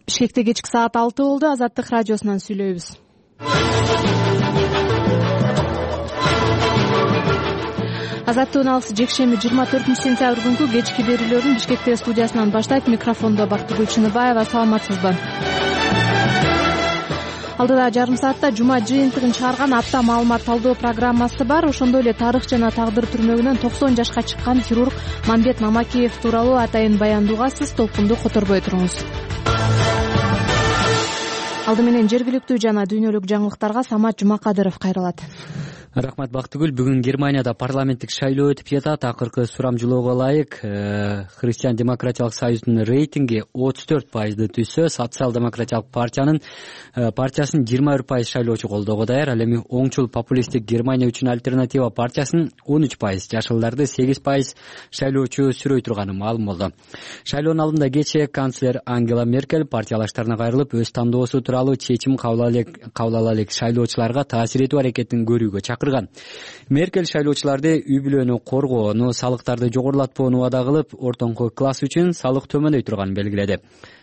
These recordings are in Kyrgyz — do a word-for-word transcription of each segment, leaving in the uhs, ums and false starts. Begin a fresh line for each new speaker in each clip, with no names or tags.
Бишкекте кечки саат алты болду. Азаттык радиосунан сүйлөйбүз. Азаттыктын алысы жекшемби жыйырма төртүнчү сентябрь күнкү кечки берүүлөрүн Бишкекте студиясынан баштайт. Микрофондо Бактыгүл Чыныбаева. Саламатсызбы? Алдыда жарым саатта жума жыйынтыгын чыгарган апта маалымат талдоо программасы бар. Ошондой эле тарых жана тагдыр түрмөгүнөн токсон жашка чыккан хирург Мамбет Мамакеев тууралуу атайын баяндоо угасыз. Толкунду которбой туруңуз. Алды менен жергиликтүү жана дүйнөлүк жаңылыктарга Самат Жумакадыров кайрылат.
Рахмат Бактыгүл. Бүгүн Германияда парламенттик шайлоо өтүп жатат. Акыркы сурамжылоого ылайык Христиан демократиялык союздун рейтинги отуз төрт пайызды түзсө, социал-демократиялык партиянын партиясын жыйырма бир пайыз шайлоочу колдоого даяр. Ал эми оңчул популисттик Германия үчүн альтернатива партиясынын он үч пайыз, жашылдарды сегиз пайыз шайлоочу сүрөй турганы маалым болду. Шайлоонун алдында кечээ канцлер Ангела Меркель партиялаштарына кайрылып, өз тандоосу тууралуу чечим кабыл ала элек шайлоочуларга таасир этүү аракетин көрүүгө чакырды. Меркель шайлоочуларды үй бүлөнү коргоону, салыктарды жогорулатпоону убада кылып, ортоңку класс үчүн салык төмөндөй турганын белгиледи.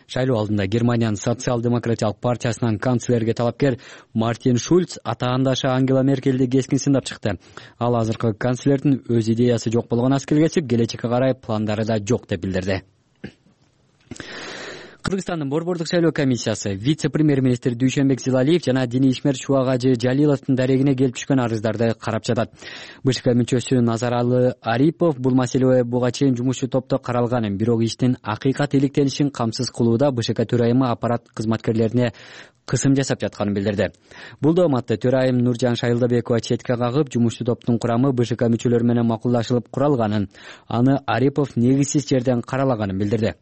Шайлоо алдында Германиянын социал-демократиялык партиясынан канцлерге талапкер Мартин Шульц атаандашы Ангела Меркельди кескин сындап чыкты. Ал азыркы канцлердин өз идеясы жок болгон аскел кесип, келечекке карай пландары да жок деп билдирди. Кыргызстандын Борбордук шайлоо комиссиясы вице-премьер-министр Дүйшөнбек Зилалиев жана диний ишмер Чубак Ажы Жалиловдун дарегине келип түшкөн арыздарды карап жатат. БШК мүчөсү Назаралы Арипов бул маселе буга чейин жумушчу топто каралганын, бирок иштин акыйкат иликтенишин камсыз кылууда БШК төрайымы аппарат кызматкерлерине кысым жасап жатканын билдирди. Бул дооматты төрайым Нуржан Шайылдабекова четке кагып, жумушчу топтун курамы БШК мүчөлөрү менен макулдашылып куралганын, аны Арипов негизсиз жерден каралаганын билдирди.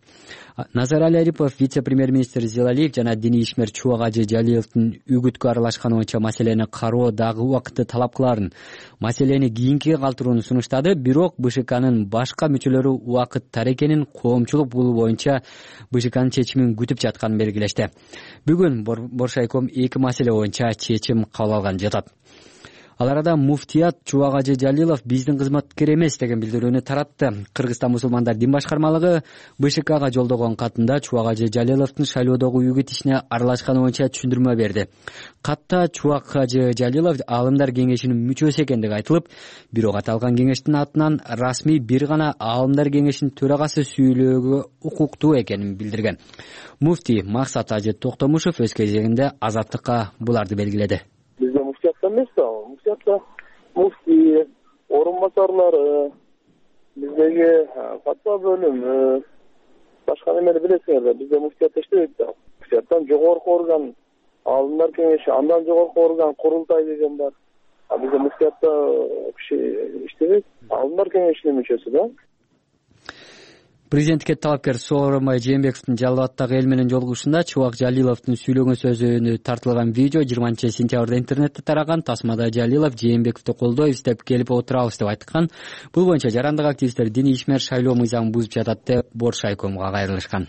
Назаралы Арипов вице-премьер-министр Зилалиев жана диний ишмер Чубак Ажы Жалиловдун үгүткө аралашканы боюнча маселени кароо дагы убакытты талап кыларын, маселени кийинкиге калтырууну сунуштады. Бирок БШКнын башка мүчөлөрү убакыттар экенин, коомчулук бул боюнча БШКнын чечимин күтүп жатканын белгилешти. Бүгүн Боршайком эки маселе боюнча чечим кабыл алган жатат. Ал арада муфтият Чубак Ажы Жалилов биздин кызматкер эмес деген билдирүүнү таратты. Кыргызстан мусулмандар дин башкармалыгы БШКга жолдогон катында Чубак Ажы Жалиловдун шайлоодогу үгүт ишине аралашканы боюнча түшүндүрмө берди. Катта Чубак Ажы Жалилов Аалымдар кеңешинин мүчөсү экендиги айтылып, бирок аталган кеңештин атынан расмий бир гана Аалымдар кеңешинин төрагасы сүйлөөгө укуктуу экенин билдирген. Муфти Максат Ажы Токтомушев өз кезегинде Азаттыкка буларды белгиледи.
Бизде муфтиятта эмес да, муфтиятта муфти, орун басарлары, биздеги фатва бөлүмү, башка немени билесиңер да, бизде муфтиятта иштебейт да. Муфтияттан жогорку орган, Аалымдар кеңеши, андан жогорку орган курултай деген бар. А бизде муфтиятта киши иштебейт, Аалымдар кеңешинин мүчөсү да.
Президентке талапкер Сооронбай Жээнбековдун Жалал абаддагы эл менен жолугушууда Чубак Жалиловдун сүйлөгөн сөзүнө тартылган видео жыйырманчы сентябрда интернетте тараган. Тасмада Жалилов Жээнбековду колдойбуз деп келип отурабыз деп айткан. Бул боюнча жарандык активисттер диний ишмер шайлоо мыйзамын бузуп жатат деп Боршайкомго кайрылышкан.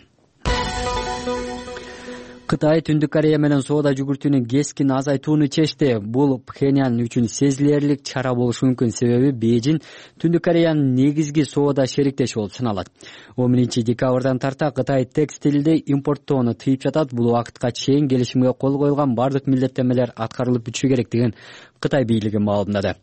Кытай Түндүк Корея менен соода жүгүртүүнү кескин азайтууну чечти. Бул Пхеньян үчүн сезилерлик чара болушу мүмкүн, себеби Бейжин Түндүк Кореянын негизги соода шериктеши болуп саналат. он биринчи декабрдан тарта Кытай текстилди импорттоону тыйып жатат. Бул убакытка чейин келишимге кол коюлган бардык милдеттенмелер аткарылып бүтүшү керек деген Кытай бийлиги маалымдады.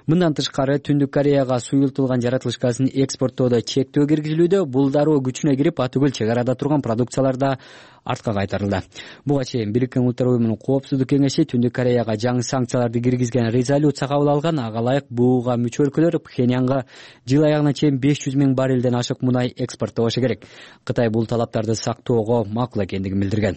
Мындан тышкары Түндүк Кореяга суюлтулган жаратылыш газын экспорттоодо чектөө киргизилүүдө. Бул дароо күчүнө кирип, атүгүл чек арада турган продукцияларда артка кайтарылды. Буга чейин Бириккен Улуттар уюмунун Коопсуздук кеңеши Түндүк Кореяга жаңы санкцияларды киргизген резолюция кабыл алган. Ага ылайык буга мүчө өлкөлөр Пхеньянга жыл аягына чейин беш жүз миң баррелден ашык мунай экспорттобошу керек. Кытай бул талаптарды сактоого макул экендигин билдирген.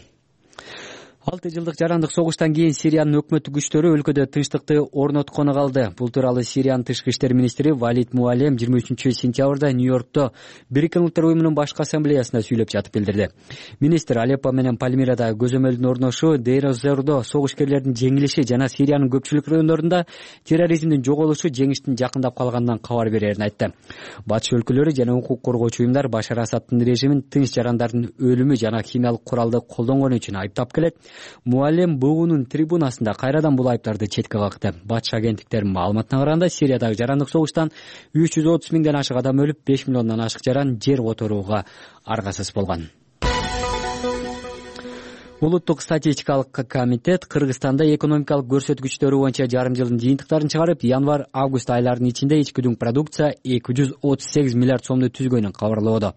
алты жылдык жарандык согуштан кийин Сириянын өкмөттүк күчтөрү өлкөдө тынчтыкты орноткону калды. Бул тууралуу Сириянын тышкы иштер министри Валид Муалем жыйырма үчүнчү сентябрда Нью-Йоркто Бириккен Улуттар уюмунун башкы ассамблеясында сүйлөп жатып билдирди. Министр Алеппо менен Пальмирада көзөмөлдүн орношу, Дейр-эз-Зордо согуш-керлердин жеңилиши жана Сириянын көпчүлүк райондорунда терроризмдин жоголушу жеңиштин жакындап калганынан кабар берерин айтты. Батыш өлкөлөрү жана укук коргоочу уюмдар Башар Асаддын режимин тынч жарандардын өлүмү жана химиялык куралды колдонгону үчүн айыптап келет. Муалем буунун трибунасында кайрадан бул айыптарды четке какты. Батыш агенттиктеринин маалыматына караганда, Сириядагы жарандык согуштан үч жүз отуз миңден ашык адам өлүп, беш миллиондон ашык жаран жер которууга аргасыз болгон. Улуттук статистикалык комитет Кыргызстанда экономикалык көрсөткүчтөрү боюнча жарым жылдын жыйынтыктарын чыгарып, январь-август айларынын ичинде ички продукция эки жүз отуз сегиз миллиард сомду түзгөнүн кабарлоодо.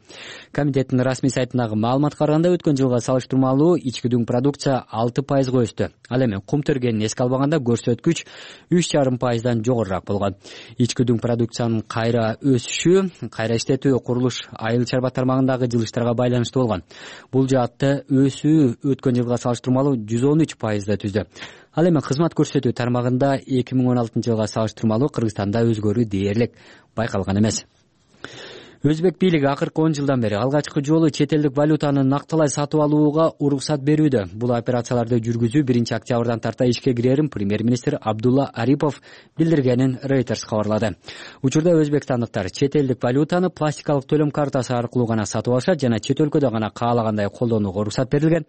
Комитеттин расмий сайтындагы маалыматка караганда өткөн жылга салыштырмалуу ички продукция алты пайызга өстү. Ал эми кум тергенин эске албаганда көрсөткүч үч жарым пайыздан жогорураак болгон. Ички продукциянын кайра өсүшү кайра иштетүү, курулуш, айыл чарба тармагындагы жылыштарга байланыштуу болгон. Бул жаатта өсүү өткөн жылга салыштырмалуу жүз он үч пайызды түздү. Ал эми кызмат көрсөтүү тармагында эки миң он алтынчы жылга салыштырмалуу Кыргызстанда өзгөрүү дээрлик байкалган эмес. Өзбек бийлиги акыркы он жылдан бери алгачкы жолу чет элдик валютаны накталай сатып алууга уруксат берүүдө. Бул операцияларды жүргүзүү биринчи октябрдан тарта ишке кирерин премьер-министр Абдулла Арипов билдиргенин Reuters кабарлады. Учурда өзбекстандыктар чет элдик валютаны пластикалык төлөм картасы аркылуу гана сатып алышат жана чет өлкөдө гана каалагандай колдонууга уруксат берилген.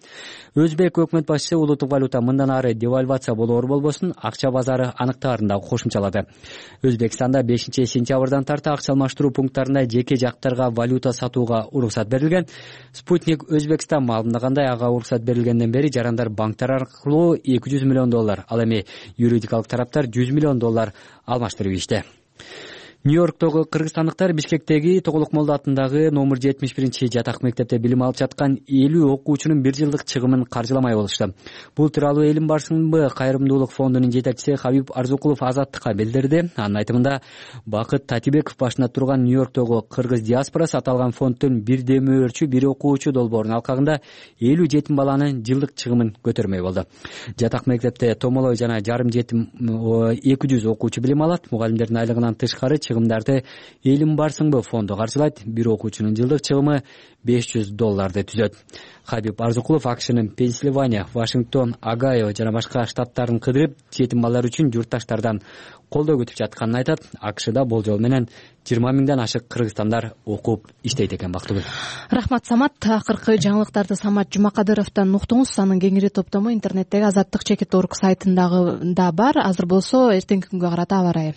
Өзбек өкмөт башчысы улуттук валюта мындан ары девальвация болоор болбосун акча базары аныктаарын да кошумчалады. Өзбекстанда бешинчи сентябрдан тарта акча алмаштыруу пункттарында жеке жактарга валюта сатууга уруксат берилген. Спутник Өзбекстан маалымдагандай, ага уруксат берилгенден бери жарандар банктар аркылуу эки жүз миллион доллар, ал эми юридикалык тараптар жүз миллион доллар алмаштырып ийишти. Нью-Йорктогу кыргызстандыктар Бишкектеги Тоголок Молдо атындагы номер жетимиш биринчи жатак мектепте билим алып жаткан элүү окуучунун бир жылдык чыгымын каржыламай болушту. Бул тууралуу Элим барсынбы кайрымдуулук фондунун жетекчиси Хабиб Арзукулов Азаттыкка билдирди. Анын айтымында, Бакыт Татибеков башында турган Нью-Йорктогу кыргыз диаспорасы аталган фонддун бир демөөрчү, бир окуучу долбоорунун алкагында элүү жетим баланын жылдык чыгымын көтөрмөй болду. Жатак мектепте томолой жана жарым жетим эки жүз окуучу билим алат. Мугалимдердин айлыгынан тышкары чыгымдарды Элим барсынбы фонду каржылайт. Бир окуучунун жылдык чыгымы беш жүз долларды түзөт. Хабиб Арзукулов АКШнын Пенсильвания, Вашингтон, Огайо жана башка штаттарын кыдырып, жетим балдар үчүн журтташтардан колдоо күтүп жатканын айтат. АКШда болжол менен жыйырма миңден ашык кыргызстандар окуп иштейт экен. Бактыгүл.
Рахмат, Самат. Акыркы жаңылыктарды Самат Жумакадыровдон уктуңуз. Анын кеңири топтому интернеттеги Азаттык чекит точка орг сайтындагы да бар. Азыр болсо эртеңки күнгө карата аба ырайы.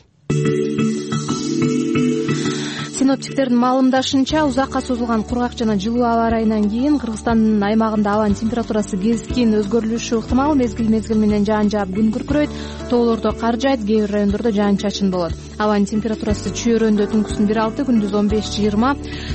Синоптиктердин маалымдашынча, узакка созулган кургак жана жылуу аба ырайынан кийин Кыргызстандын аймагында абанын температурасы кескин өзгөрүлүшү ыктымал. Мезгил-мезгил менен жаан жаап күн күркүрөйт, тоолордо кар жаайт, кээ бир райондордо жаан-чачын болот. Абанын температурасы Чүйөрөндө түнкүсүн бир алты, күндүз он беш жыйырма,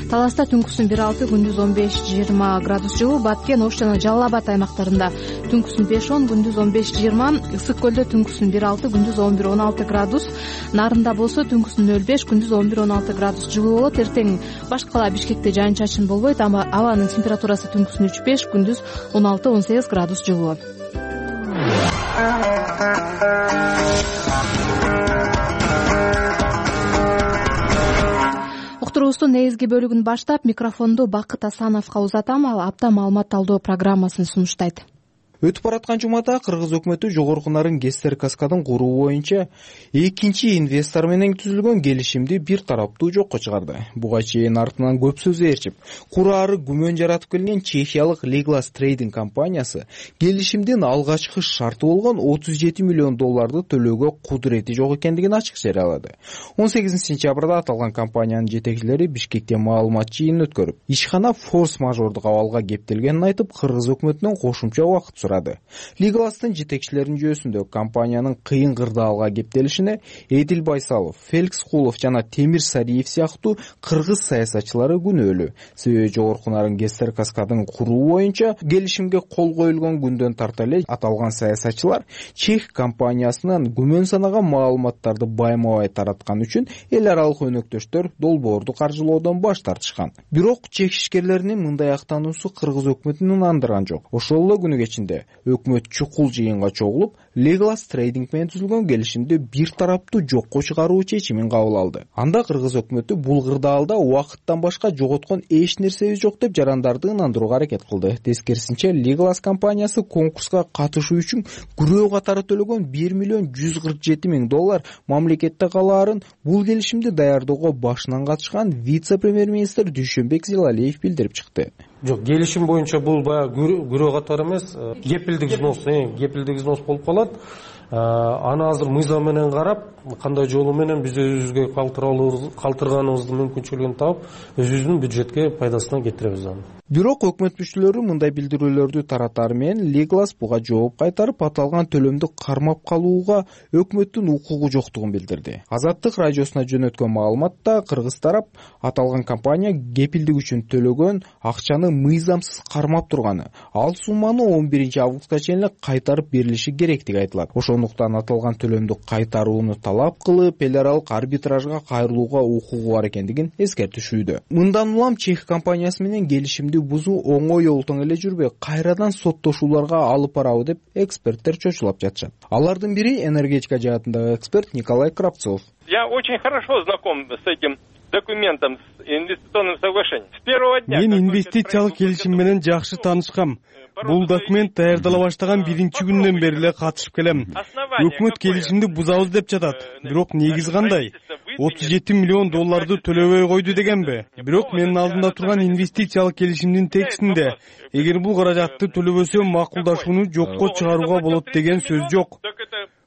Таласта түнкүсүн бир алты, күндүз он беш жыйырма градус жылуу, Баткен, Ош жана Жалал Абад аймактарында түнкүсүн беш он, күндүз он беш жыйырма, Ысык көлдө түнкүсүн бир алты, күндүз он бир он алты градус, Нарында болсо түнкүсүн нөл беш, күндүз он бир он алты градус жылуу болот. Эртең башкы кала Бишкекте жаан-чачын болбойт, ама абанын температурасы түнкүсүн үч беш, күндүз он алты он сегиз градус жылуу. Уктуруубуздун негизги бөлүгүн баштап, микрофонду Бакыт Асановго узатам. Ал апта маалымат талдоо программасын сунуштайт.
Өтүп бараткан жумада кыргыз өкмөтү жогорку нарын Гестер каскадын куруу боюнча экинчи инвестор менен түзүлгөн келишимди бир тараптуу жокко чыгарды. Буга чейин артынан көп сөз ээрчип, кураары күмөн жаратып келген чехиялык Legolas Trading компаниясы келишимдин алгачкы шарты болгон отуз жети миллион долларды төлөөгө кудурети жок экендигин ачык жарыялады. он сегизинчи сентябрда аталган компаниянын жетекчилери Бишкекте маалымат жыйынын өткөрүп, ишкана форс-мажордук абалга кептелгенин айтып, кыргыз өкмөтүнөн кошумча убакыт Legolas'тын жетекчилеринин жүйөсүндө компаниянын кыйын кырдаалга кептелишине Эдил Байсалов, Феликс Кулов жана Темир Сариев сыяктуу кыргыз саясатчылары күнөөлүү. Себеби жогорку нарын Гестер каскадын куруу боюнча келишимге кол коюлгон күндөн тарта эле аталган саясатчылар чех компаниясынын күмөн санаган маалыматтарды байма-бай тараткан үчүн эл аралык өнөктөштөр долбоорду каржылоодон баш тартышкан. Бирок чех ишкерлеринин мындай актануусу кыргыз өкмөтүн ынандырган жок. Ошол эле күнү кечинде өкмөт чукул жыйынга чогулуп, Legolas Trading менен түзүлгөн келишимди бир тараптуу жокко чыгаруу чечимин кабыл алды. Анда кыргыз өкмөтү бул кырдаалда убакыттан башка жоготкон эч нерсебиз жок деп жарандарды ынандырууга аракет кылды. Тескерисинче, Legolas компаниясы конкурска катышуу үчүн күрөө катары төлөгөн бир миллион жүз кырк жети миң доллар мамлекетте калаарын бул келишимди даярдоого башынан катышкан вице-премьер-министр Дүйшөнбек Зилалиев билдирип чыкты.
Жок, келишим боюнча бул баягы күрөө катары эмес, кепилдик взнос, кепилдик взнос болуп калат. Аны азыр мыйзам менен карап, кандай жолу менен биз өзүбүзгө калтырганыбыздын мүмкүнчүлүгүн таап, өзүбүздүн бюджетке пайдасына кетиребиз аны.
Бирок өкмөт мүчөлөрү мындай билдирүүлөрдү таратары менен Леглас буга жооп кайтарып, аталган төлөмдү кармап калууга өкмөттүн укугу жоктугун билдирди. Азаттык радиосуна жөнөткөн маалыматта кыргыз тарап аталган компания кепилдик үчүн төлөгөн акчаны мыйзамсыз кармап турганы, ал сумманы он биринчи августка чейин эле кайтарып берилиши керектиги айтылат. Ошондуктан аталган төлөмдү кайтарууну талап кылып, эл аралык арбитражга кайрылууга укугу бар экендигин эскертишүүдө. Мындан улам чех компаниясы менен келишимди бузуу оңой олтоң эле жүрбөй, кайрадан соттошууларга алып барабы деп эксперттер чочулап жатышат. Алардын бири энергетика жаатындагы эксперт Николай Кравцов.
Я очень хорошо знаком с этим документом, с инвестиционным соглашением. С первого дня.
Мен инвестициялык келишим менен жакшы таанышкам. Бул документ даярдала баштаган биринчи күндөн бери эле катышып келем. Өкмөт келишимди бузабыз деп жатат. Бирок негизи кандай? отуз жети миллион долларды төлөбөй койду дегенби? Бирок менин алдымда турган инвестициялык келишимдин текстинде эгер бул каражатты төлөбөсө макулдашууну жокко чыгарууга болот деген сөз жок.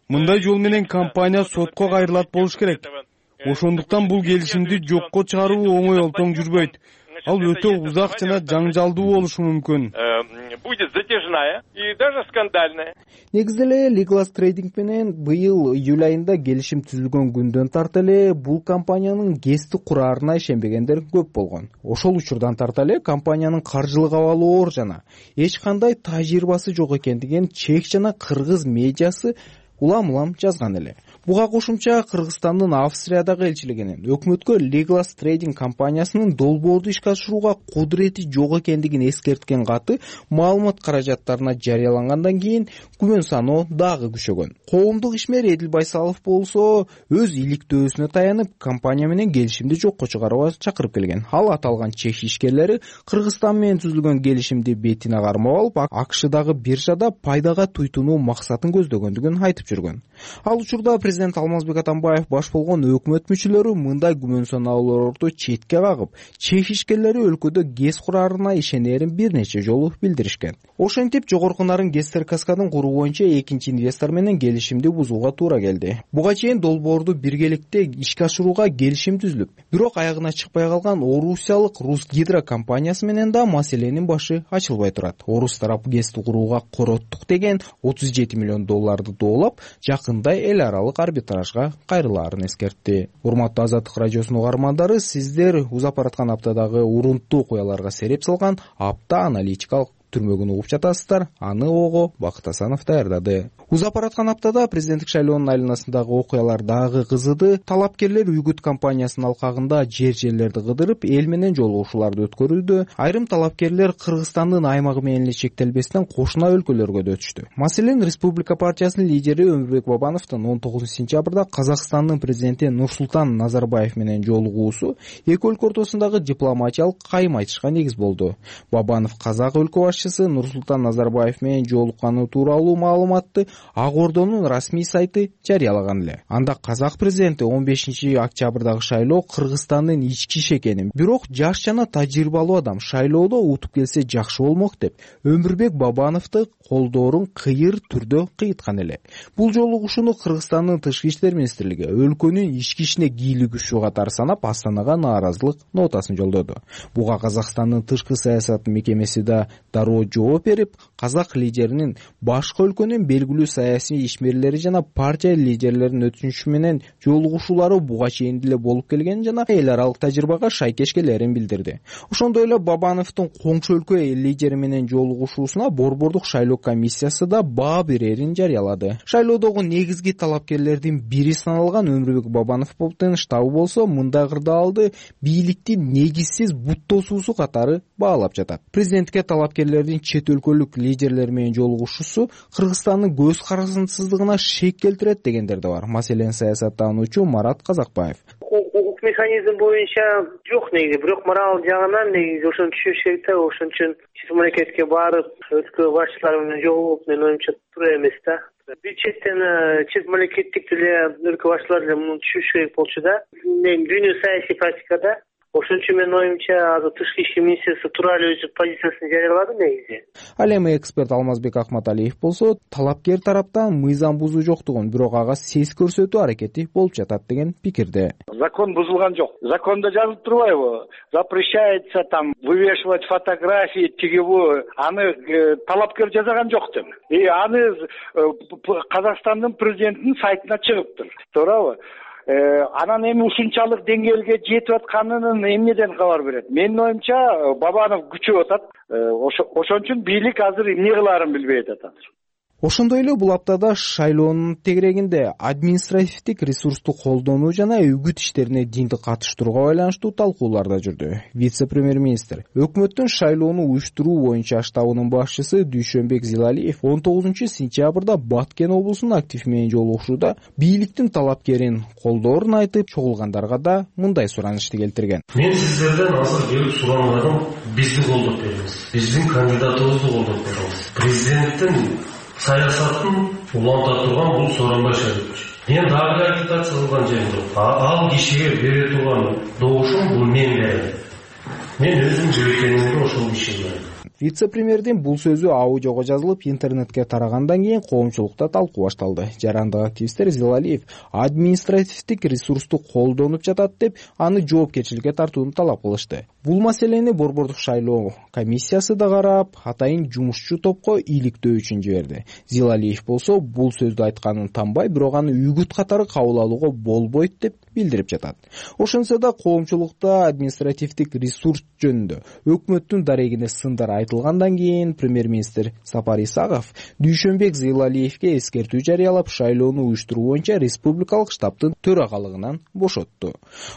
Мындай жол менен компания сотко кайрылат болуш керек. Ошондуктан бул келишимди жокко чыгаруу оңой олтоң жүрбөйт. Ал өтө узак жана жаңжалдуу болушу мүмкүн.
Будет затяжная и даже скандальная.
Негизи эле Legless Trading менен быйыл июль айында келишим түзүлгөн күндөн тарта эле бул компаниянын ГЭСти кураарына ишенбегендер көп болгон. Ошол учурдан тарта эле компаниянын каржылык абалы оор жана эч кандай тажрыйбасы жок экендигин чех жана кыргыз медиасы улам-улам жазган эле. Буга кошумча Кыргызстандын Австриядагы элчилигинин өкмөткө Legless Trading компаниясынын долбоорду ишке ашырууга кудурети жок экендигин эскерткен каты маалымат каражаттарына жарыялангандан кийин күмөн саноо дагы күчөгөн. Коомдук ишмер Эдил Байсалов болсо өз иликтөөсүнө таянып компания менен келишимди жокко чыгарууга чакырып келген. Ал аталган чех ишкерлери Кыргызстан менен түзүлгөн келишимди бетине кармап алып, АКШдагы биржада пайдага туйтунуу максатын көздөгөндүгүн айтып жүргөн. Ал учурда президент Алмазбек Атамбаев баш болгон өкмөт мүчөлөрү мындай күмөн саноолорду четке кагып, чех ишкерлери өлкөдө ГЭС кураарына ишенерин бир нече жолу билдиришкен. Ошентип жогорку нарын ГЭСтер каскадын куруу боюнча экинчи инвестор менен келишимди бузууга туура келди. Буга чейин долбоорду биргеликте ишке ашырууга келишим түзүлүп, бирок аягына чыкпай калган орусиялык Русгидро компаниясы менен да маселенин башы ачылбай турат. Орус тарап ГЭСти курууга короттук деген отуз жети миллион долларды доолап, жакында эл аралык арбитражга кайрылаарын эскертти. Урматтуу Азаттык радиосунун угармандары, сиздер узап бараткан аптадагы урунттуу окуяларга сереп салган апта аналитикалык түрмөгүн угуп жатасыздар. Аны ого Бакыт Асанов даярдады. Узап бараткан аптада президенттик шайлоонун айланасындагы окуялар дагы кызыды. Талапкерлер Үгүт компаниясынын алкагында жер жерлерди кыдырып, эл менен жолугушууларды өткөрүлдү. Айрым талапкерлер Кыргызстандын аймагы менен эле чектелбестен кошуна өлкөлөргө да өтүштү. Маселен, Республика партиясынын лидери Өмүрбек Бабановдун он тогузунчу сентябрда Казакстандын президенти Нурсултан Назарбаев менен жолугуусу эки өлкө ортосундагы дипломатиялык кайым айтышка негиз болду. Бабанов казак өлкө башчысы Нурсултан Назарбаев менен жолукканы тууралуу маалыматты Ак Ордонун расмий сайты жарыялаган эле. Анда казак президенти он бешинчи октябрдагы шайлоо Кыргызстандын ички иши экенин, бирок жаш жана тажрыйбалуу адам шайлоодо утуп келсе жакшы болмок деп Өмүрбек Бабановду колдоорун кыйыр түрдө кыйыткан эле. Бул жолугушууну Кыргызстандын тышкы иштер министрлиги өлкөнүн ички ишине кийлигишүү катары санап, Астанага нааразылык нотасын жолдоду. Буга Казакстандын тышкы саясат мекемеси да дароо жооп берип, казак лидеринин башка өлкөнүн белгилүү саясий ишмерлери жана партия лидерлеринин өтүнүчү менен жолугушуулары буга чейин деле болуп келгенин жана эл аралык тажрыйбага шайкеш келерин билдирди. Ошондой эле Бабановдун коңшу өлкө лидери менен жолугушуусуна борбордук шайлоо комиссиясы да баа берерин жарыялады. Шайлоодогу негизги талапкерлердин бири саналган Өмүрбек Бабановдун штабы болсо мындай кырдаалды бийликтин негизсиз буттосуусу катары баалап жатат. Президентке талапкерлердин чет өлкөлүк лидерлер менен жолугушуусу Кыргызстандын көз карасынсыздыгына шек келтирет дегендер да бар. Маселен, саясаттануучу Марат Казакбаев.
Укук механизм боюнча жок негизи, бирок мораль жагынан негизи ошону түшүнүш керек да. Ошон үчүн чет мамлекетке барып, өлкө башчылары менен жолугуп, мен оюмча туура эмес да. Бир четтен чет мамлекеттик деле өлкө башчылары деле муну түшүнүш керек болчу да. Мен дүйнө саясий практикада Ошон үчүн менин оюмча азыр тышкы иши министрствосу туура эле өзү позициясын жарыялады негизи.
Ал эми эксперт Алмазбек Акматалиев болсо талапкер тараптан мыйзам бузуу жоктугун, бирок ага сес көрсөтүү аракети болуп жатат деген пикирде.
Закон бузулган жок. Закондо жазылып турбайбы? Запрещается там вывешивать фотографии тигибу, аны талапкер жасаган жок деп. И аны Казакстандын президентинин сайтына чыгыптыр. Туурабы? Анан эми ушунчалык деңгээлге жетип атканын эмнеден кабар берет? Менин оюмча Бабанов күчөп атат. Ошон үчүн бийлик азыр эмне кылаарын билбей атат.
Ошондой эле бул аптада шайлоонун тегерегинде административдик ресурсту колдонуу жана үгүт иштерине динди катыштырууга байланыштуу талкуулар да жүрдү. Вице-премьер-министр өкмөттүн шайлоону уюштуруу боюнча штабынын башчысы Дүйшөнбек Зилалиев он тогузунчу сентябрда Баткен облусунун актив менен жолугушууда бийликтин талапкерин колдоорун айтып, чогулгандарга да мындай суранышты келтирген.
Мен сиздерден азыр келип сурангандым, бизди колдоп бериңиз. Биздин кандидатыбызды колдоп бериңиз. Президенттин саясатын уланта турган бул Сооронбай Шарипович. Мен дагы агитация кылган жерим жок. Ал кишиге бере турган добушум бул мен берем. Мен өзүм жибекенimde ошол кишиге берем.
Вице-премьердин бул сөзү аудиого жазылып интернетке тарагандан кийин коомчулукта талкуу башталды. Жарандык активисттер Зилалиев административдик ресурсту колдонуп жатат деп, аны жоопкерчиликке тартууну талап кылышты. Бул маселени Борбордук шайлоо комиссиясы да карап, атайын жумушчу топко иликтөө үчүн жиберди. Зилалиев болсо бул сөздү айтканын танбай, бирок аны үгүт катары кабыл алууга болбойт деп билдирип жатат. Ошонсо да коомчулукта административдик ресурс жөнүндө өкмөттүн дарегине сындар айтылгандан кийин премьер-министр Сапар Исаков Дүйшөнбек Зилалиевге эскертүү жарыялап, шайлоону уюштуруу боюнча республикалык штабтын төрагалыгынан бошотту.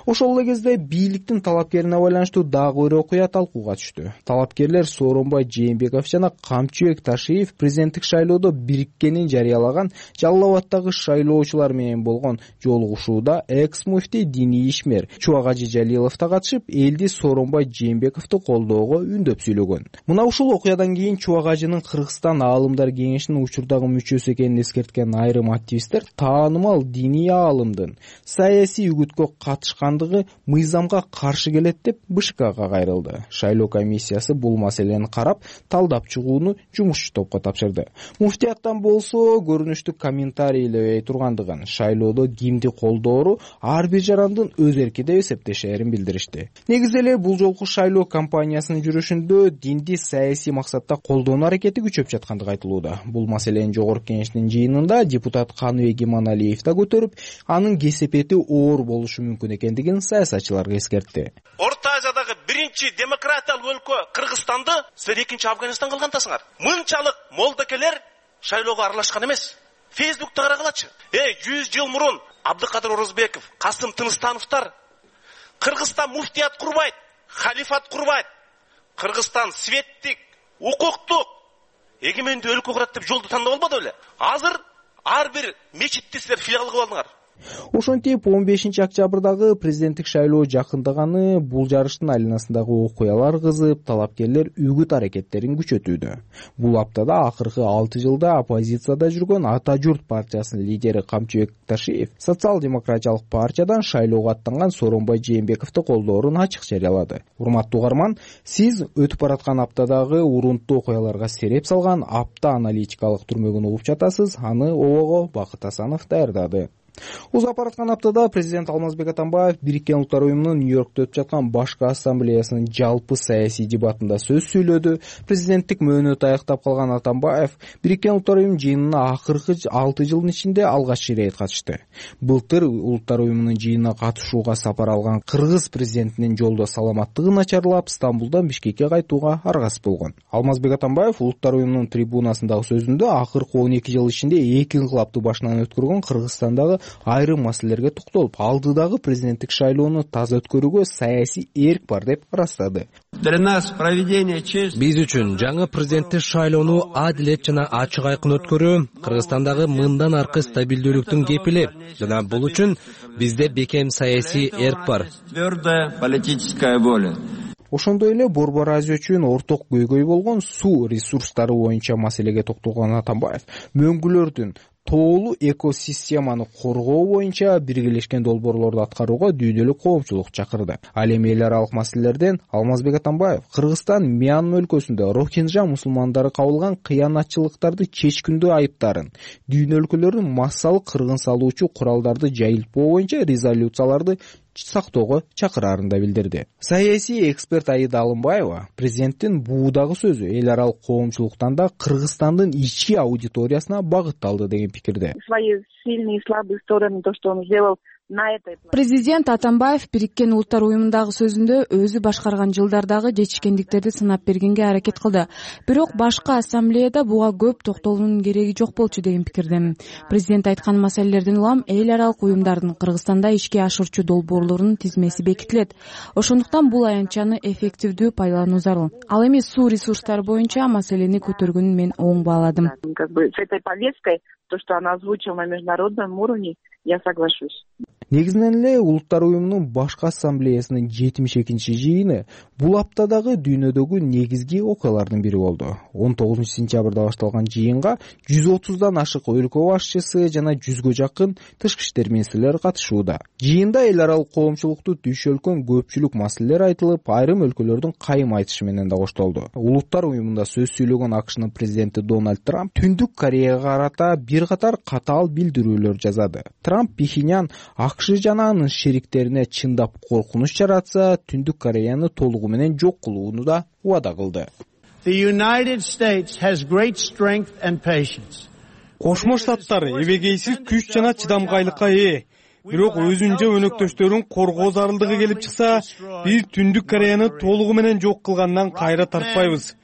Ошол эле кезде бийликтин талапкерине байланыштуу дагы бир окуя талкууга түштү. Талапкерлер Сооронбай Жээнбеков жана Камчыбек Ташиев президенттик шайлоодо бириккенин жарыялаган Жалал Абаддагы шайлоочулар менен болгон жолугушууда экс-муфтий диний ишмер Чубагажы Жалилов да катышып, элди Сооронбай Жээнбековду колдоого үндөп сүйлөгөн. Мына ушул окуядан кийин Чубагажынын Кыргызстан аалымдар кеңешинин учурдагы мүчөсү экенин эскерткен айрым активисттер таанымал диний аалымдын саясий үгүткө катышкандыгы мыйзамга каршы келет деп БШКга кайрылды. Шайлоо комиссиясы бул маселени карап, талдап чыгууну жумушчу топко тапшырды. Муфтияттан болсо көрүнүштүк комментарийлебей тургандыгын, шайлоодо кимди колдоору ар бир жарандын өз эрки деп эсептешерин билдиришти. Негизи эле бул жолку шайлоо кампаниясынын жүрүшүндө динди саясий максатта колдонуу аракети күчөп жаткандыгы айтылууда. Бул маселени жогорку кеңештин жыйынында депутат Каныбек Иманалиев да көтөрүп, анын кесепети оор болушу мүмкүн экендигин саясатчыларга эскертти.
Орто Азиядагы биринчи демократиялык өлкө Кыргызстанды силер экинчи Афганистан кылгандасыңар. Мынчалык молдокелер шайлоого аралашкан эмес. Фейсбукта карагалачы. Э, жүз жыл мурун Абдыкадыр Орозбеков, Касым Тыныстановтар Кыргызстан муфтият курбайт, халифат курбайт. Кыргызстан светтик, укуктук, эгемендүү өлкө курат деп жолду тандап албады беле? Азыр ар бир мечитти силер филиал кылып алдыңар.
Ошентип он бешинчи октябрдагы президенттик шайлоо жакындаганы бул жарыштын айланасындагы окуялар кызып, талапкерлер үгүт аракеттерин күчөтүүдө. Бул аптада акыркы алты жылда оппозицияда жүргөн Ата журт партиясынын лидери Камчыбек Ташиев социал-демократиялык партиядан шайлоого аттанган Сооронбай Жээнбековду колдоорун ачык жарыялады. Урматтуу угарман, сиз өтүп бараткан аптадагы урунттуу окуяларга сереп салган апта аналитикалык түрмөгүн угуп жатасыз. Аны Обого Бакыт Асанов даярдады. Узап бараткан аптада президент Алмазбек Атамбаев Бириккен Улуттар уюмунун Нью-Йоркто өтүп жаткан башкы ассамблеясынын жалпы саясий дебатында сөз сүйлөдү. Президенттик мөөнөтү аяктап калган Атамбаев Бириккен Улуттар уюмунун жыйынына акыркы алты жылдын ичинде алгач ирет катышты. Былтыр Улуттар уюмунун жыйынына катышууга сапар алган кыргыз президентинин жолдо саламаттыгы начарлап, Стамбулдан Бишкекке кайтууга аргасыз болгон. Алмазбек Атамбаев Улуттар уюмунун трибунасындагы сөзүндө акыркы он эки жыл ичинде эки инкылапты башынан өткөргөн Кыргызстандагы айрым маселелерге токтолуп, алдыдагы президенттик шайлоону таза өткөрүүгө саясий эрк бар деп ырастады.
Биз үчүн жаңы президенттик шайлоону адилет жана ачык айкын өткөрүү Кыргызстандагы мындан аркы стабилдүүлүктүн кепили жана бул үчүн бизде бекем саясий эрк бар.
Ошондой эле Борбор Азия үчүн орток көйгөй болгон суу ресурстары боюнча маселеге токтолгон Атамбаев мөңгүлөрдүн тоолуу экосистеманы коргоо боюнча биргелешкен долбоорлорду аткарууга дүйнөлүк коомчулук чакырды. Ал эми эл аралык маселелерден Алмазбек Атамбаев Кыргызстан Мьянма өлкөсүндө Рохинжа мусулмандары кабылган кыянатчылыктарды чечкиндүү айыптарын, дүйнө өлкөлөрүнүн массалык кыргын салуучу куралдарды жайылтпоо боюнча резолюцияларды сактоого чакыраарын да билдирди. Саясий эксперт Аида Алымбаева президенттин буудагы сөзү эл аралык коомчулуктан да Кыргызстандын ички аудиториясына багытталды деген пикирде.
Свои сильные и слабые стороны, то, что он сделал на этой.
Президент Атамбаев Бириккен Улуттар уюмундагы сөзүндө өзү башкарган жылдардагы жетишкендиктерди сынап бергенге аракет кылды. Бирок башка ассамблеяда буга көп токтолуунун кереги жок болчу деген пикирдемин. Президент айткан маселелерден улам эл аралык уюмдардын Кыргызстанда ишке ашырчу долбоорлорунун тизмеси бекитилет. Ошондуктан бул аянтчаны эффективдүү пайдалануу зарыл. Ал эми суу ресурстары боюнча маселени көтөргөнүн мен оң бааладым.
Как бы с этой повесткой, то, что она озвучила на международном уровне, я соглашусь.
Негизинен эле Улуттар уюмунун башкы ассамблеясынын жетимиш экинчи жыйыны бул аптадагы дүйнөдөгү негизги окуялардын бири болду. он тогузунчу сентябрда башталган жыйынга жүз отуздан ашык өлкө башчысы жана жүзгө жакын тышкы иштер министрлери катышууда. Жыйында эл аралык коомчулукту түйшөлкөн көпчүлүк маселелер айтылып, айрым өлкөлөрдүн кайым айтышы менен да коштолду. Улуттар уюмунда сөз сүйлөгөн АКШнын президенти Дональд Трамп Түндүк Кореяга карата бир катар катаал билдирүүлөр жазады. Трамп Пхеньян АКШ жана анын шериктерине чындап коркунуч жаратса, Түндүк Кореяны толугу менен жок кылууну да убада кылды.
Кошмо Штаттар эбегейсиз күч жана чыдамкайлыкка ээ. Бирок өзүн же өнөктөштөрүн коргоо зарылдыгы келип чыкса, биз Түндүк Кореяны толугу менен жок кылгандан кайра тартпайбыз.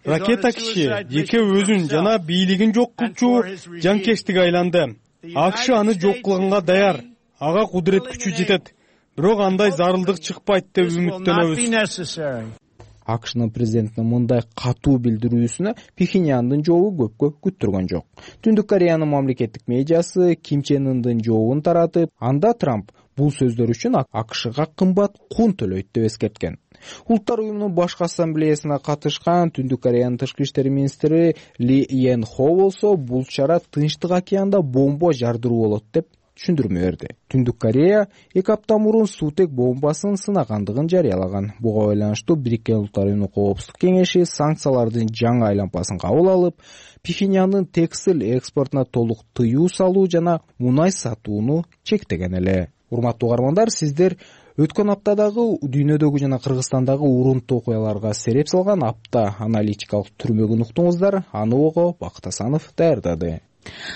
Ракета киши жеке өзүн жана бийлигин жок кылчу жанкечтикке айланды. АКШ аны жок кылганга даяр. Ага кудурет күчү жетет. Бирок андай зарылдык чыкпайт деп үмүттөнөбүз.
АКШнын президентинин мындай катуу билдирүүсүнө Пхеньяндын жообу көпкө күттүргөн жок. Түндүк Кореянын мамлекеттик медиасы Ким Чен Ындын жообун таратып, анда Трамп бул сөздөр үчүн АКШга кымбат кун төлөйт деп эскерткен. Улуттар уюмунун башкы ассамблеясына катышкан Түндүк Кореянын тышкы иштер министри Ли Йен Хо болсо бул чара Тынчтык океанда бомба жардыруу болот деп түшүндүрмө берди. Түндүк Корея эки апта мурун суутек бомбасын сынагандыгын жарыялаган. Буга байланыштуу Бириккен Улуттар уюмунун коопсуздук кеңеши санкциялардын жаңы айлампасын кабыл алып, Пхеньяндын текстиль экспортуна толук тыюу салуу жана мунай сатууну чектеген эле. Урматтуу угармандар, сиздер өткөн аптадагы дүйнөдөгү жана Кыргызстандагы урунттуу окуяларга сереп салган апта аналитикалык түрмөгүн уктуңуздар. Аны ого Бакыт Асанов даярдады.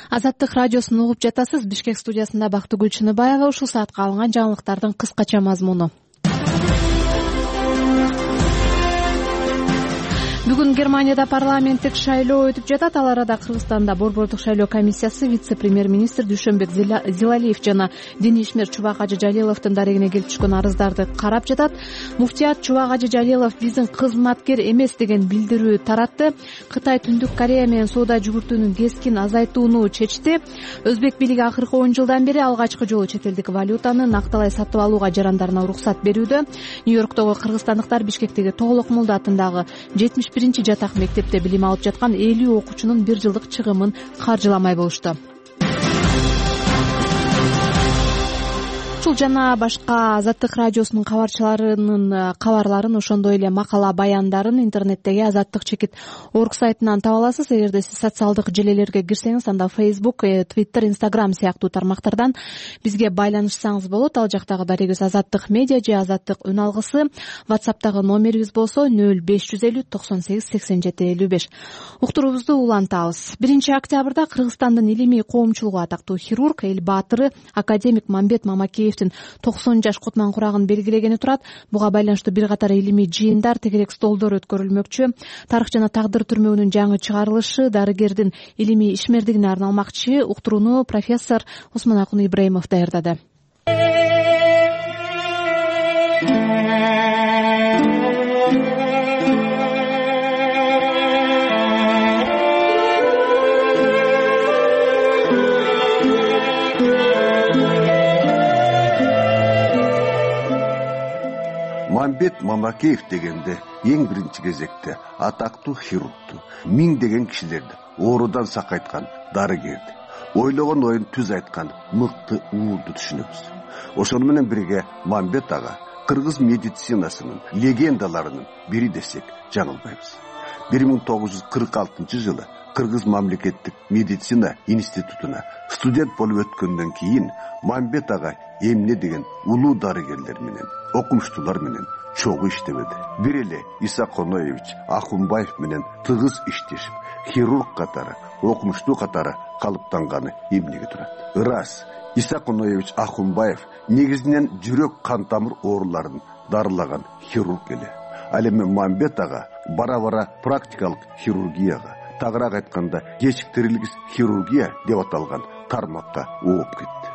Азаттык радиосун угуп жатасыз. Бишкек студиясында Бактыгүл Чыныбаева. Ушул саатка алынган жаңылыктардын кыскача мазмуну. Бүгүн Германияда парламенттик шайлоо өтүп жатат. Ал арада Кыргызстанда борбордук шайлоо комиссиясы вице-премьер-министр Дүйшөнбек Зилалиев жана Дини ишмер Чубак Ажы Жалиловдун дарегине келип түшкөн арыздарды карап жатат. Муфтият Чубак Ажы Жалилов биздин кызматкер эмес деген билдирүү таратты. Кытай Түндүк Корея менен соода жүгүртүүнүн кескин азайтууну чечти. Өзбек бийлиги акыркы он жылдан бери алгачкы жолу чет элдик валютаны накталай сатып алууга жарандарына уруксат берүүдө. Нью-Йорктогу кыргызстандыктар Бишкектеги Тоголок Молда атындагы жетимиш биринчи жатак мектепте билим алып жаткан элүү окуучунун бир жылдык чыгымын каржыламай болушту. Ушул жана башка Азаттык радиосунун кабарчыларынын кабарларын, ошондой эле макала баяндарын интернеттеги азаттык чекит орг сайтынан таба аласыз. Эгерде сиз социалдык желелерге кирсеңиз, анда Facebook, Twitter, Instagram сыяктуу тармактардан бизге байланышсаңыз болот. Ал жактагы дарегибиз Азаттык медиа же Азаттык үн алгысы. WhatsApp'тагы номерибиз болсо нөл беш жүз элүү токсон сегиз сексен жети элүү беш. Уктуруубузду улантабыз. биринчи октябрда Кыргызстандын илимий коомчулугу атактуу хирург, эл баатыры академик Мамбет Мамакеев токсон жаш кутман курагын белгилегени турат. Буга байланыштуу бир катар илимий жыйындар, тегерек столдор өткөрүлмөкчү. Тарых жана тагдыр түрмөгүнүн жаңы чыгарылышы дарыгердин илимий ишмердигине арналмакчы. Уктурууну профессор Осмонакун Ибраимов даярдады.
Мамбет Мамакеев дегенде эң биринчи кезекте атактуу хирургту, миңдеген кишилерди оорудан сакайткан дарыгерди. ойлогон оюн түз айткан мыкты уулду түшүнөбүз. Ошону менен бирге Мамбет ага кыргыз медицинасынын легендаларынын бири десек жаңылбайбыз. бир миң тогуз жүз кырк алтынчы жылы Кыргыз мамлекеттик медицина институтуна студент болуп өткөндөн кийин Мамбет ага эмне деген улуу дарыгерлер менен, окумуштуулар менен чогуу иштебеди. Бир эле Иса Коноевич Ахунбаев менен тыгыз иштешип, хирург катары, окумуштуу катары калыптанганы эмнеге турат? Ырас, Иса Коноевич Ахунбаев негизинен жүрөк кан тамыр ооруларын дарылаган хирург эле. Ал эми Мамбет ага бара-бара практикалык хирургияга, тагыраак айтканда кечиктирилгис хирургия деп аталган тармакка ооп кетти.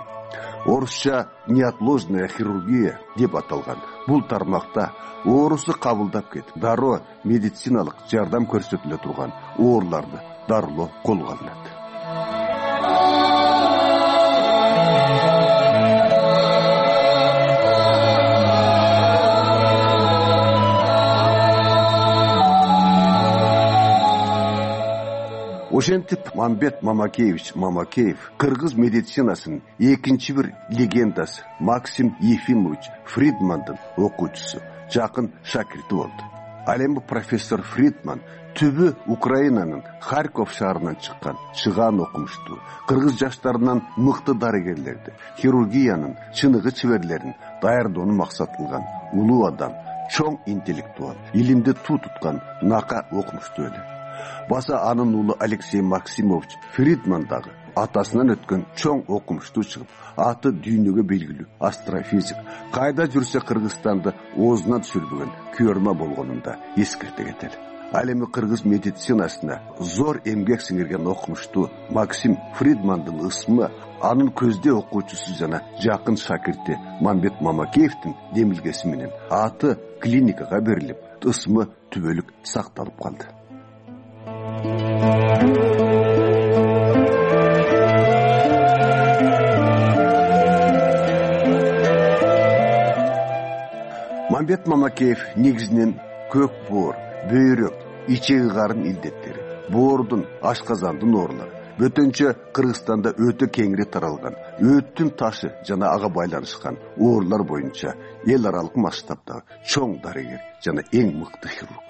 Орусча неотложная хирургия деп аталган бул тармакта оорусу кабылдап кетип, дароо медициналык жардам көрсөтүлө турган ооруларды дарылоо колго алынат. Ошентип Мамбет Мамакеевич Мамакеев кыргыз медицинасынын экинчи бир легендасы Максим Ефимович Фридмандын окуучусу, жакын шакирти болду. Ал эми профессор Фридман түбү Украинанын Харьков шаарынан чыккан чыгаан окумуштуу, кыргыз жаштарынан мыкты дарыгерлерди, хирургиянын чыныгы чеберлерин даярдоону максат кылган улуу адам, чоң интеллектуал, илимди туу туткан нака окумуштуу эле. Баса анын уулу Алексей Максимович Фридман дагы атасынан өткөн чоң окумуштуу чыгып, аты дүйнөгө белгилүү астрофизик, кайда жүрсө Кыргызстанды оозуна түшүрбөгөн күөрмө болгонун да эскерте кетели. Ал эми кыргыз медицинасына зор эмгек сиңирген окумуштуу Максим Фридмандын ысмы анын көздөй окуучусу жана жакын шакирти Мамбет Мамакеевдин демилгеси менен аты клиникага берилип, ысмы түбөлүк сакталып калды. Мамбет Мамакеев негизинен көк боор, бөйрөк, ичеги карын илдеттери, боордун, ашказандын оорулары, бөтөнчө Кыргызстанда өтө кеңири таралган, өттүн ташы жана ага байланышкан оорулар боюнча эл аралык масштабдагы чоң дарыгер жана эң мыкты хирург.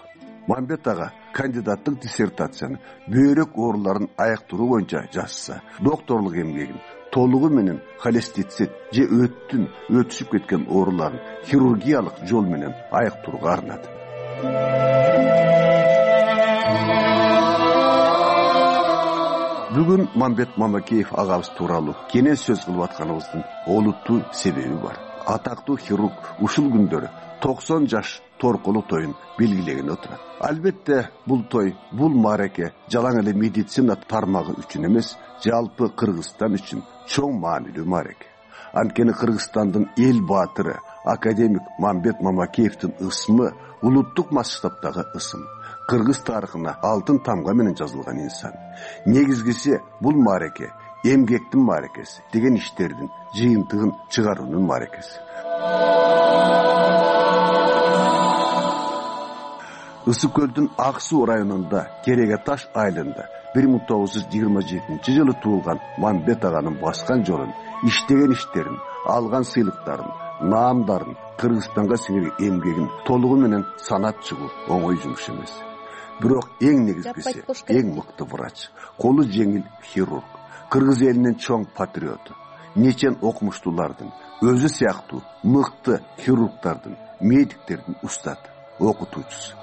Мамбет ага кандидаттык диссертацияны бөйрөк ооруларын аяктыруу боюнча жазса, докторлук эмгегин толугу менен холестицит же өттүн өтүшүп кеткен ооруларын хирургиялык жол менен аяктырууга арнады. Бүгүн Мамбет Мамакеев агабыз тууралуу кенен сөз кылып атканыбыздын олуттуу себеби бар. Атактуу хирург ушул күндөрү токсон жаш торкулуу тоюн белгилеген отурат. Албетте бул той, бул маареке жалаң эле медицина тармагы үчүн эмес, жалпы Кыргызстан үчүн чоң маанилүү маареке. Анткени Кыргызстандын эл баатыры академик Мамбет Мамакеевдин ысмы улуттук масштабдагы ысым. Кыргыз тарыхына алтын тамга менен жазылган инсан. Негизгиси бул маареке эмгектин маарекеси, деген иштердин жыйынтыгын чыгаруунун маарекеси. Ысык көлдүн Ак суу районунда Кереге таш айылында бир миң тогуз жүз жыйырма жетинчи жылы туулган Мамбет аганын баскан жолун, иштеген иштерин, алган сыйлыктарын, наамдарын, Кыргызстанга сиңирген эмгегин толугу менен санап чыгуу оңой жумуш эмес. Бирок эң негизгиси, эң мыкты врач, колу жеңил хирург, кыргыз элинин чоң патриоту, нечен окумуштуулардын, өзү сыяктуу мыкты хирургдардын, медиктердин устаты, окутуучусу.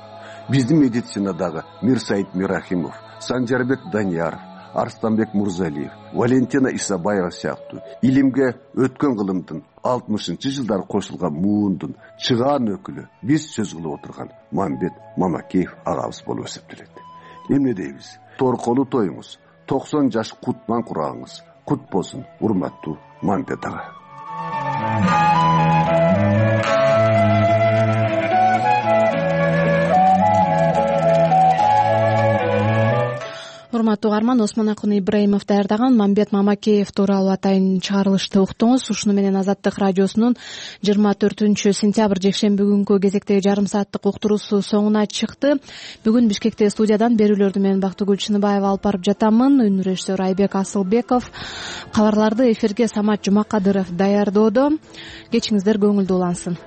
Биздин медицинадагы Мирсаид Мирахимов, Санжарбек Данияров, Арстанбек Мурзалиев, Валентина Исабаева сыяктуу илимге өткөн кылымдын алтымышынчы жылдары кошулган муундун чыгаан өкүлү биз сөз кылып отурган Мамбет Мамакеев агабыз болуп эсептелет. Эмне дейбиз? Торколуу тоюңуз, токсон жаш кутман курагыңыз кут болсун, урматтуу Мамбет ага.
урматтуу угарман, Осмонакун Ибраимов даярдаган Мамбет Мамакеев тууралуу атайын чыгарылышты уктуңуз. Ушуну менен Азаттык радиосунун жыйырма төртүнчү сентябрь жекшемби күнгү кезектеги жарым сааттык уктуруусу соңуна чыкты. Бүгүн Бишкекте студиядан берүүлөрдү мен Бактыгүл Чыныбаева алып барып жатамын. Үн режиссер Айбек Асылбеков, кабарларды эфирге Самат Жумакадыров даярдоодо. Кечиңиздер көңүлдүү улансын.